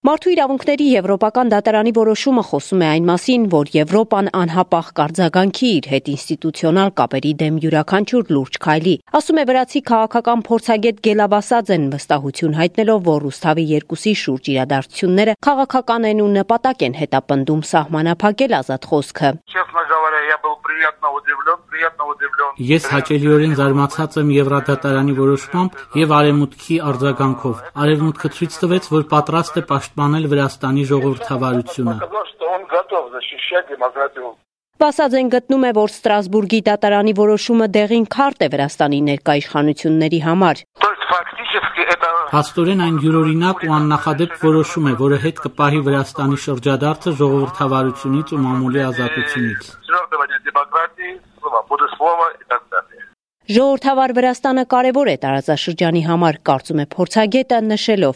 Մարդու իրավունքների Եվրոպական դատարանի որոշումը խոսում է այն մասին, որ Եվրոպան անհապաղ կարձագանքի իր հետ ինստիտուցիոնալ կապերի դեմ յուրաքանչյուր լուրջ քայլի։ Ասում է վրացի քաղաքական փորձագետ Գելա Վասաձեն, վստահություն հայտնելով, որ Ռուսթավի 2-ի շուրջ իրադարձությունները քաղաքական են ու նպատակ են հետապնդում սահմանափակել ազատ խոսքը։ Ես հաճելիորեն զարմացած եմ Եվրադատարանի որոշմամբ եւ Արևմուտքի արձագանքով։ Արևմուտքը ցույց տվեց, որ պատրաստ է պաշտպանել Վրաստանի ժողովրդավարությունը։ Վասաձեն գտնում է, որ Ստրասբուրգի դատարանի որոշումը դեղին քարտ է Վրաստանի ներկա իշխանությունների համար։ Փաստորեն այն յուրօրինակ ու աննախադեպ որոշում է, որը հետ կպահի Վրաստանի շրջադարձը ժողովրդավարությունից ու մամուլի ազատությունից։ Ժողովրդավար Վրաստանը կարևոր է տարածաշրջանի համար, կարծում է փորձագետը, նշելով.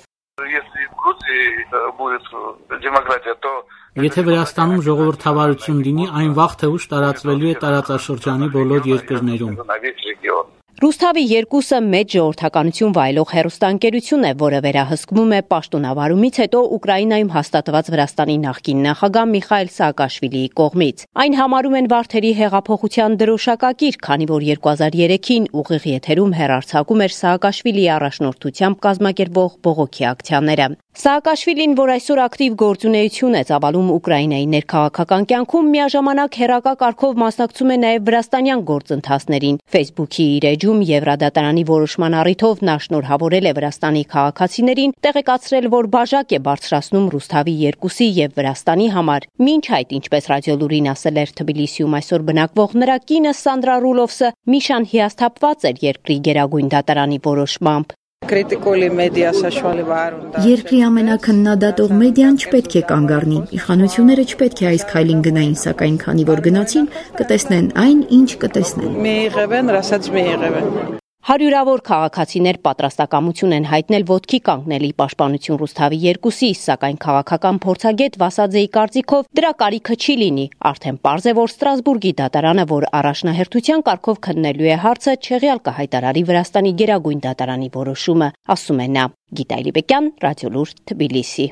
Եթե Վրաստանում ժողովրդավարություն լինի, այն վաղ թե ուշ տարածվելու է տարածաշրջանի բոլոր երկրներում։ Ռուսթավի 2-ը մեծ ժողովրդականություն վայելող հեռուստաընկերություն է, որը վերահսկվում է պաշտոնավարումից հետո Ուկրաինայում հաստատված Վրաստանի նախկին նախագահ Միխայիլ Սաակաշվիլիի կողմից։ Այն համարում են Վարդերի հեղափոխության դրոշակակիր, քանի որ 2003-ին ուղիղ եթերում հեռարձակում էր Սաակաշվիլիի առաջնորդությամբ կազմակերպվող բողոքի ակցիաները։ Սաակաշվիլին, որ այսօր ակտիվ գործունեություն է ծավալում Ուկրաինայի ներքաղաքական կյանքում, միաժամանակ հեռակա կարգով մասնակցում է նաև վրաստանյան գործընթացներին։ Facebook-ի իր էջում Եվրադատարանի որոշման առիթով նա շնորհավորել է Վրաստանի քաղաքացիներին, տեղեկացրել, որ բաժակ է բարձրացնում Ռուսթավի 2-ի եւ Վրաստանի համար։ Մինչ այդ, ինչպես Ռադիոլուրին ասել էր Թբիլիսիում այսօր բնակվող նրա կինը Սանդրա Ռուլովսը, Միշան հիասթափված էր երկրի գերագույն դատարանի որոշմամբ։ Երկրի ամենաքննադատող մեդիան չպետք է կանգ առնի։ Իշխանությունները չպետք է այս քայլին գնային, սակայն քանի որ գնացին, կտեսնեն այն, ինչ կտեսնեն։ Հարյուրավոր քաղաքացիներ պատրաստակամություն են հայտնել ոտքի կանգնելի պաշտպանություն Ռուսթավի 2-ի, սակայն քաղաքական փորձագետ Վասաձեի կարծիքով դրա կարիքը չի լինի։ Արդեն պարզ է, որ Ստրասբուրգի դատարանը, որ առաջնահերթության կարգով քննելու է հարցը, չեղյալ կհայտարարի Վրաստանի գերագույն դատարանի որոշումը, ասում է նա։ Գիտա Իլիբեկյան, Ռադիոլուր, Թբիլիսի։